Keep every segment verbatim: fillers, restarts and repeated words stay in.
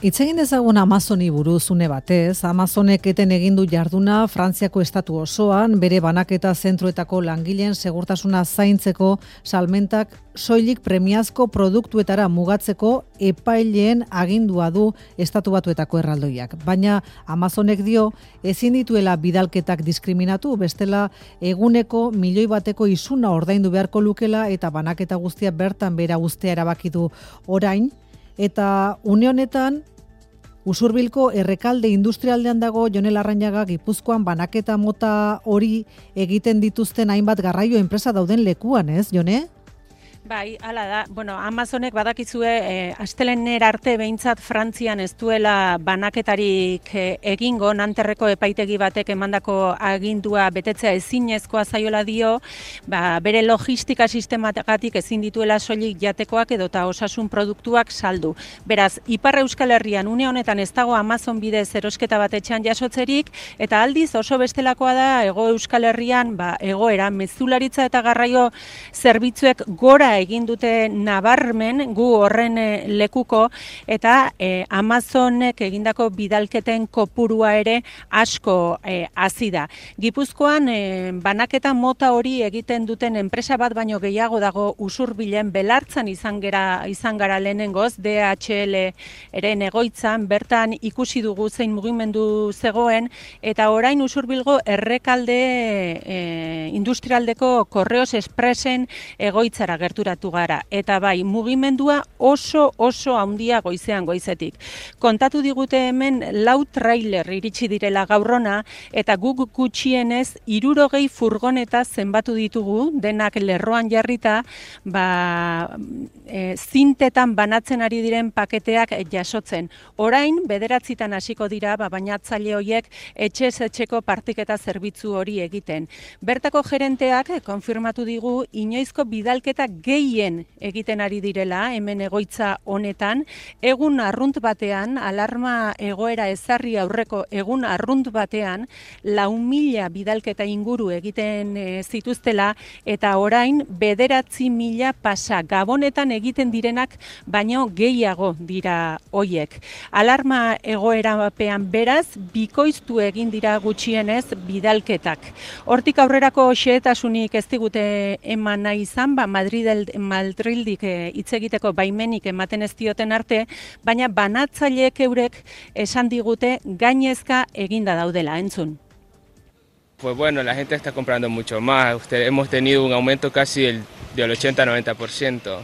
Hitz egin dezagun Amazoni buruz une batez. Amazonek eten egin du jarduna Frantziako estatu osoan, bere banaketa zentruetako langileen segurtasuna zaintzeko salmentak soilik premiazko produktuetara mugatzeko epaileen agindua du estatu batuetako erraldoiak. Baina Amazonek dio ezin dituela bidalketak diskriminatu, bestela eguneko milioi bateko isuna ordaindu beharko lukela eta banaketa guztia bertan behera uztea erabaki du orain. Eta une honetan, Usurbilko errekalde industrialdean dago Jone Larrañaga Gipuzkoan banaketa mota hori egiten dituzten hainbat garraio enpresa dauden lekuan, ez, Jone? Bai, hala da. Bueno, Amazonek badakizue eh, astelehener arte behintzat Frantzian ez duela banaketarik eh, egingo, Nanterreko epaitegi batek emandako agindua betetzea ezinezkoa zaiola dio, ba, bere logistika sistematagatik ezin dituela soilik jatekoak edota osasun produktuak saldu. Beraz, Ipar Euskal Herrian une honetan ez dago Amazon bidez erosketa bat etxean jasotzerik, eta aldiz oso bestelakoa da Hego Euskal Herrian ba, egoera mezularitza eta garraio zerbitzuek gora egin dute nabarmen gu horren lekuko, eta eh, Amazonek egindako bidalketen kopurua ere asko eh, hazi da. Gipuzkoan eh, banaketa mota hori egiten duten enpresa bat baino gehiago dago Usurbilen, Belartzan izan gara, izan gara lehenengoz, D H L eren egoitzan, bertan ikusi dugu zein mugimendu zegoen, eta orain Usurbilgo errekalde eh, industrialdeko Correos Expressen egoitzara gerturatu gara. Eta bai, mugimendua oso oso handia goizean goizetik. Kontatu digute hemen lau trailer iritsi direla gaurrona, eta guk gutxienez hirurogei furgoneta zenbatu ditugu, denak lerroan jarrita, ba, e, zintetan banatzen ari diren paketeak jasotzen. Orain, bederatzitan hasiko dira, ba, bainatzaile horiek etxez etxeko partiketa zerbitzu hori egiten. Bertako gerenteak konfirmatu digu inoizko bidalketa gehien egiten ari direla, hemen egoitza honetan, egun arrunt batean, alarma egoera ezarri aurreko egun arrunt batean, lau mila bidalketa inguru egiten e, zituztela, eta orain bederatzi mila pasa, Gabonetan egiten direnak, baino gehiago dira hoiek. Alarma egoerapean beraz, bikoiztu egin dira gutxienez bidalketak. Hortik aurrerako xehetasunik ez digute eman nahi izan, ba, Madridel, Madrildik hitz egiteko baimenik ematen ez dioten arte, baina banatzaileek eurek esan digute gainezka eginda daudela, entzun. Pues bueno, la gente está comprando mucho más. Usted, hemos tenido un aumento casi del, del ochenta a noventa por ciento,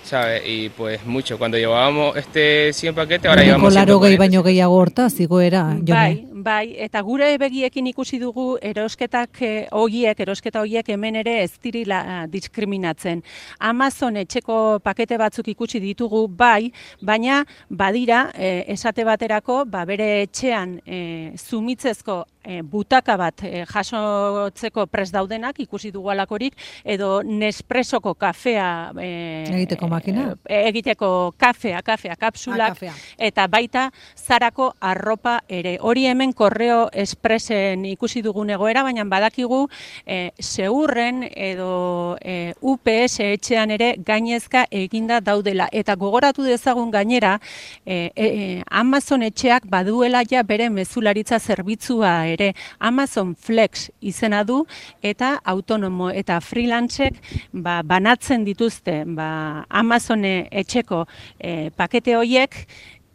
¿sabe? Y pues mucho. Cuando llevábamos este cien paquetes, ahora llevamos ciento cuarenta. Baino gehiago hortaz, igoera, Jone. Bai, bai, eta gure begiekin ikusi dugu erosketak hoiek, erosketa hoiek hemen ere ez direla diskriminatzen. Amazon etxeko pakete batzuk ikusi ditugu, bai, baina badira, eh, esate baterako, ba, bere etxean eh, zumitzezko E, butaka bat e, jasotzeko prest daudenak, ikusi dugu alakorik, edo Nespressoko kafea e, egiteko makina? E, egiteko kafea, kafea, kapsulak, ah, kafea. Eta baita Zarako arropa ere. Hori hemen Correo Expressen ikusi dugun egoera, baina badakigu e, Seurren edo e, U P S etxean ere gainezka eginda daudela. Eta gogoratu dezagun gainera, e, e, Amazon etxeak baduela ja bere mezularitza zerbitzua ere. Ere Amazon Flex izena du, eta autonomo eta freelancek ba, banatzen dituzte ba, Amazon etxeko e, pakete horiek,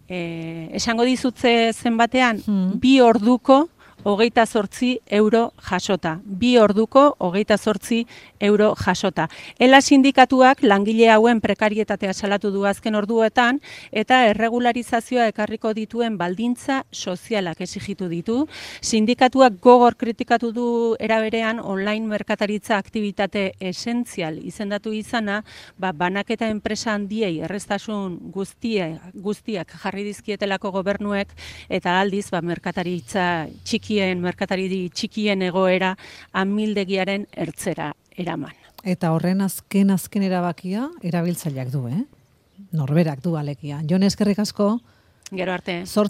e, esango dizutze zenbatean, hmm. bi orduko hogeita zortzi euro jasota. Bi orduko hogeita zortzi euro jasota. Ela sindikatuak langile hauen prekarietatea salatu du azken orduetan, eta erregularizazioa ekarriko dituen baldintza sozialak exigitu ditu. Sindikatuak gogor kritikatu du eraberean online merkataritza aktibitate esentzial izendatu izana, ba, banaketa enpresa handiei errestasun guztia, guztiak jarri dizkietelako gobernuek, eta aldiz ba, merkataritza txiki merkatari txikien egoera amildegiaren ertzera eraman. Eta horren azken azken erabakia erabiltzaileak du, eh? Norberak du alekia. Jone, eskerrik asko. Gero arte.